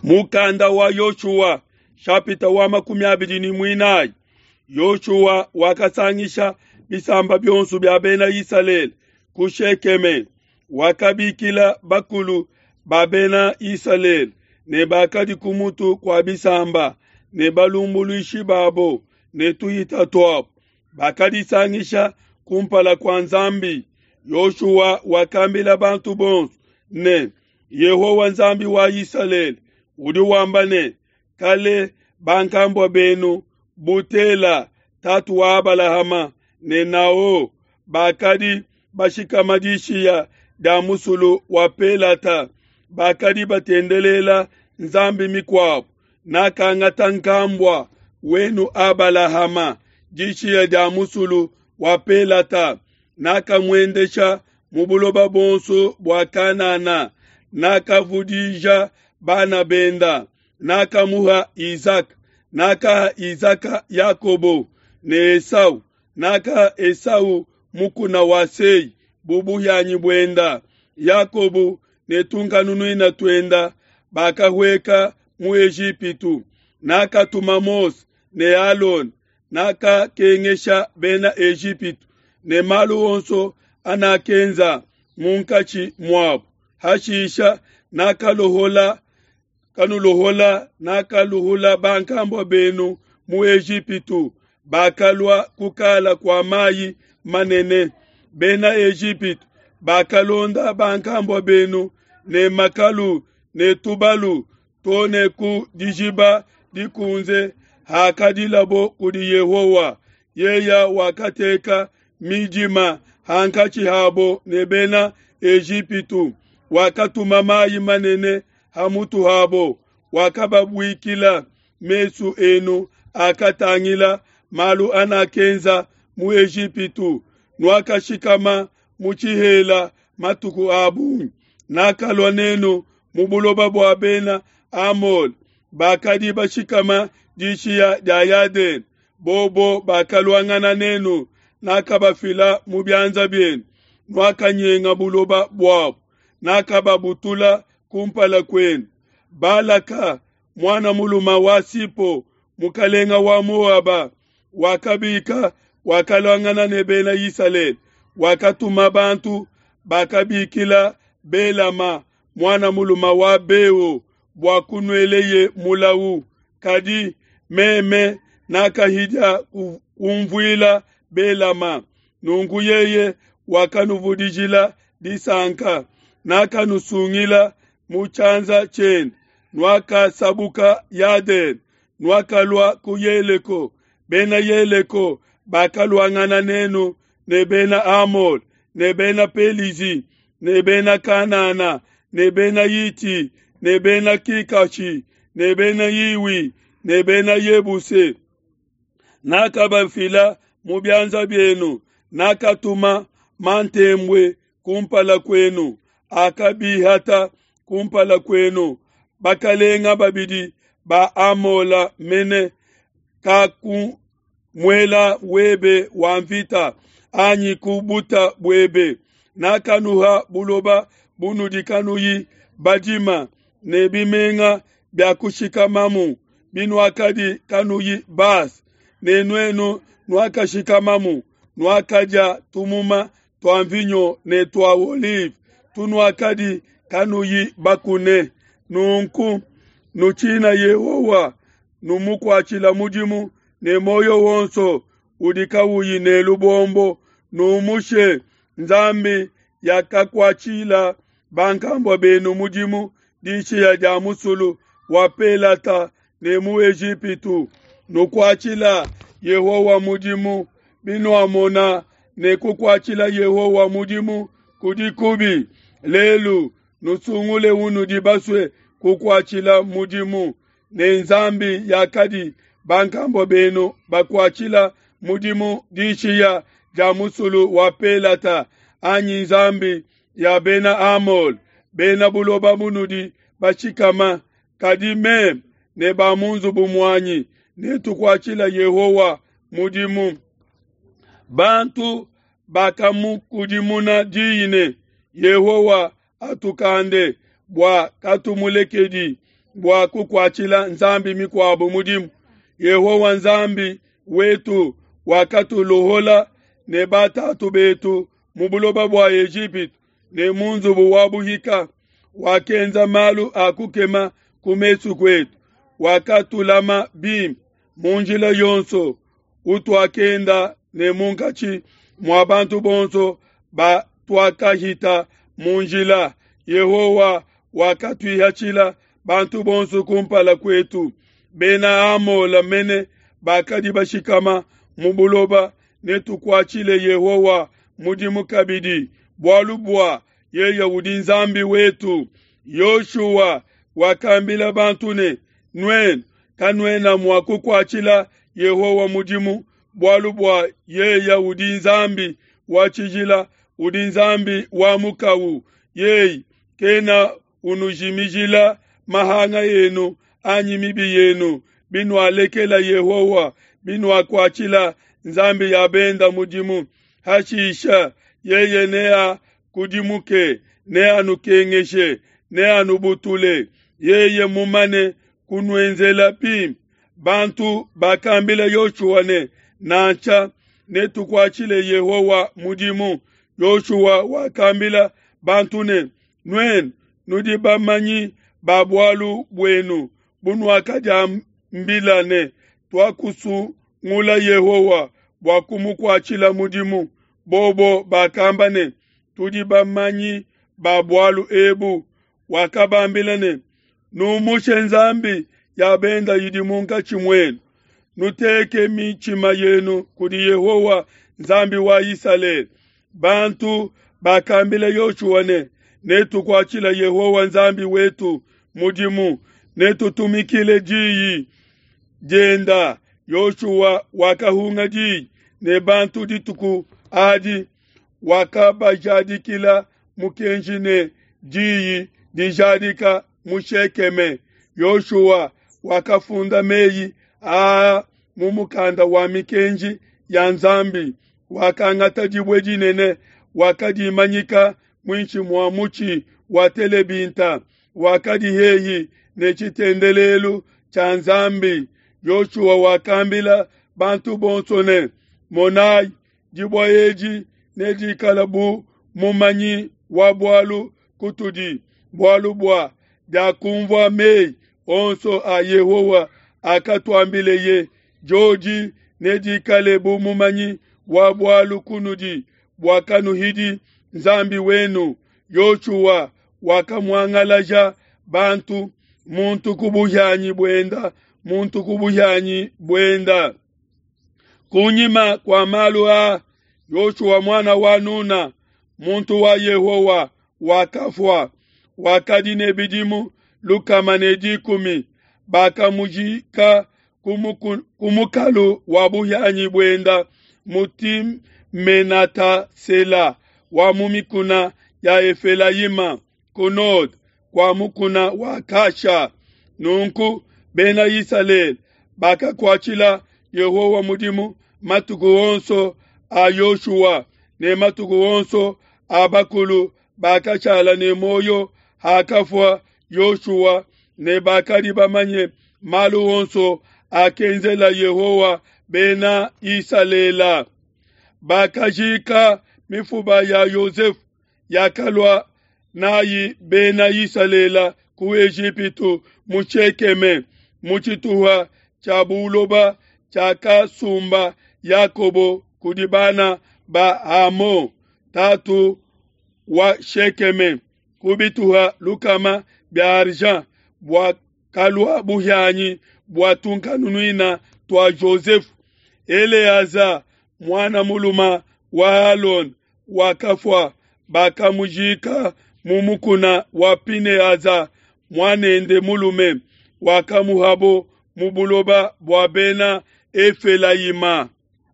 Mukanda wa Yoshua shapita wa 24. Yoshua wakasangisha bisamba bionso bia bena Isalele ku Shekeme, wakabikila bakulu ba bena Isalele ne bakadi ku mutu kua bisamba ne balumbuluishi babo ne tuhita tuabo. Bakadisangisha kumpala kua Nzambi. Yoshua wakambila bantu bonso ne, Yehowa Nzambi wa Isalele udi wamba ne, kale bankambua benu bu Tela tatu wa Abalahama ne Nao bakadi bashikama dishiya dia musulu wa Pelata, bakadi batendelela nzambi mikuabu. Nakangata nkambua wenu Abalahama dishiya dia musulu wa Pelata, nakamuendesha mu buloba buonso bua Kanana, nakavudija bana benda, nakamuha Isaka, nakaha Isaka Yakobo ne Esau, nakaha Esau mukuna wa Sei bu buhianyi buenda. Yakobo ne tunkanunuina tuenda bakahueka mu Ejipitu. Nakatuma Mose ne Alona, nakakengesha bena Ejipitu ne malu onso anakenza munkatshi muabo. Hashisha nakalohola kanulohola nakaluhula bankambua benu mu Ejipitu, bakalua kukala kua mayi manene. Bena Ejipitu bakalonda bankambua benu ne makalu ne tubalu to ne ku dijiba dikunze hakadilabo kudi Yehowa. Yeya wakateka midima hankatshi habo ne bena Ejipitu, wakatuma mayi manene ha mutu habo, wakababuikila. Mesu enu akatangila malu anakenza mu Ejipitu, nuakashikama mu tshihela matuku a bungi. Nakalua nenu mu buloba bua bena Amole, bakadi bashikama dishiya dia Yadene. Bobo bakaluangana nenu, nakabafila mu bianza bienu, nuakanyenga buloba buabo, nakababutula kumpala kuenu. Balaka muana muluma wa Sipo, mukalenga wa Moaba, wakabika wakaluangana ne bena Isalele, wakatuma bantu bakabikila Belama muana muluma wa Beo bua kunueleye mulau. Kadi meme nakahidia kumvuila Belama, nunku yeye wakanuvudijila disanka, nakanusungila mu tshianza tshiende. Nuakasabuka Yadene, nuakalua ku Yeleko. Bena Yeleko bakaluangana nenu ne bena Amole ne bena Pelizi ne bena Kanana ne bena Yiti ne bena Kikashi ne bena Yiwi ne bena Yebuse. Nakabafila mu bianza bienu, nakatuma mantembue kumpala kuenu, akabihata kumpala kuenu. Bakalenga babidi ba Amola mene kaku muela webe wa mvita anyi ku buta buebe. Nakanuha buloba bunudi kanuyi badima ne bimenga bia kushikamamu binuakadi kanuyi base, ne nuenu nuakashikamamu, nuakadia tumuma tua mvinyo ne tua olive tunuakadi kanuyi bakune. Nunku nutshina Yehowa, numukuatshila mudimu ne muoyo wonso udi kawuyi ne lubombo, numushe nzambi yakakuatshila bankambua benu mudimu dishiya dia musulu wa Pelata ne mu Ejipitu. Nukuatshila Yehowa mudimu, binuamona ne kukuatshila Yehowa mudimu kudi kubi. Lelu nusungule unudi basue kukuatshila mudimu, ne nzambi yakadi bankambua benu bakuatshila mudimu dishiya dia musulu wa Pelata, anyi nzambi ya bena Amole, bena buloba munudi bashikama. Kadi meme ne ba mu nzubu muanyi netukuatshila Yehowa mudimu. Bantu bakamukudimuna diyi ne, Yehowa atukande bua katumulekedi. bua kukuatshila nzambi mikuabo mudimu. Yehowa Nzambi wetu wakatulohola ne batatu betu mu buloba bua Ejipitu ne mu nzubu wa buhika, wakenza malu a kukema ku mesu kuetu, wakatulama bimpe mu njila yonso utuakenda ne munkatshi mua bantu bonso batuakahita mu njila. Yehowa wakatuihatshila bantu bonso kumpala kuetu, Bena Amola mene bakadi bashikama mu buloba. Netukuatshile Yehowa mudimu kabidi, bualu bua yeye udi Nzambi wetu. Yoshua wakambila bantu ne, Nuenu kanuena mua kukuatshila Yehowa mudimu, bualu bua yeye udi Nzambi wa tshijila, udi Nzambi wa mukawu. Yeye kena unujimijila mahanga enu anyi mibi yenu, binualekela Yehowa, binuakuatshila nzambi ya benda mudimu. Hashisha yeye neakudimuke, neanukengeshe, neanubutule, yeye mumane kunuenzela bimpe. Bantu bakambila Yoshua ne, Nansha, netukuatshile Yehowa mudimu. Yoshua wakambila bantu ne, Nuenu nudi bamanyi ba bualu buenu bunuakadiambila ne, Tuakusungula Yehowa bua kumukuatshila mudimu. Bobo bakamba ne, Tudi bamanyi ba bualu ebu. Wakabambila ne, Numushe nzambi ya benda idi munkatshi muenu, nuteke mitshima yenu kudi Yehowa Nzambi wa Isalele. Bantu bakambila Yoshua ne, Netukuatshile Yehowa Nzambi wetu mudimu, netutumikile diyi dienda. Yoshua wakahunga diyi ne bantu dituku adi, wakabajadikila mukenji ne diyi dijadika mu Shekeme. Yoshua wakafunda meyi aa mu mukanda wa mikenji ya Nzambi. Wakangata dibue dinene, wakadimanyika muinshi mua mutshi wa telebinta wakadi hehi ne tshitendelelu tshia Nzambi. Yoshua wakambila bantu bonso ne, Monayi, dibue edi nedikala bu mumanyi wa bualu kutudi, bualu bua diakumvua meyi onso a Yehowa akatuambileye. Diodi nedikale bu mumanyi wa bualu kunudi, bua kanuhidi Nzambi wenu. Yoshua wakamuangalaja bantu, muntu ku buhianyi buenda, muntu ku buhianyi buenda. Kunyima kua malu aa, Yoshua muana wa Nuna, muntu wa Yehowa, wakafua. Wakadi ne bidimu 110. Bakamujika ku mukalu wa buhianyi buenda mu Timenata-Sela wa mu mikuna ya Efelayima ku node kua mukuna wa Kasha. Nunku Bena Isalele bakakuatshila Yehowa mudimu matuku onso a Yoshua ne matuku onso a bakulu bakashala ne muoyo hakafua Yoshua, ne bakadi bamanye malu onso akenzela Yehowa Bena Isalele. Bakajika mifuba ya Yosefu yakalua nayi Bena Isalele ku Ejipitu mu Shekeme, mu tshituha tshia buloba tshiakasumba Yakobo kudi bana ba Hamo, tatu wa Shekeme, ku bituha 100 bia argent, buakalua buhianyi bua tunkanunuina tua Jozefu. Eleaza muana muluma wa Alona wakafua, bakamujika mu mukuna wa Pineaza muanende mulume, wakamuhabo mu buloba bua Bena Efelayima.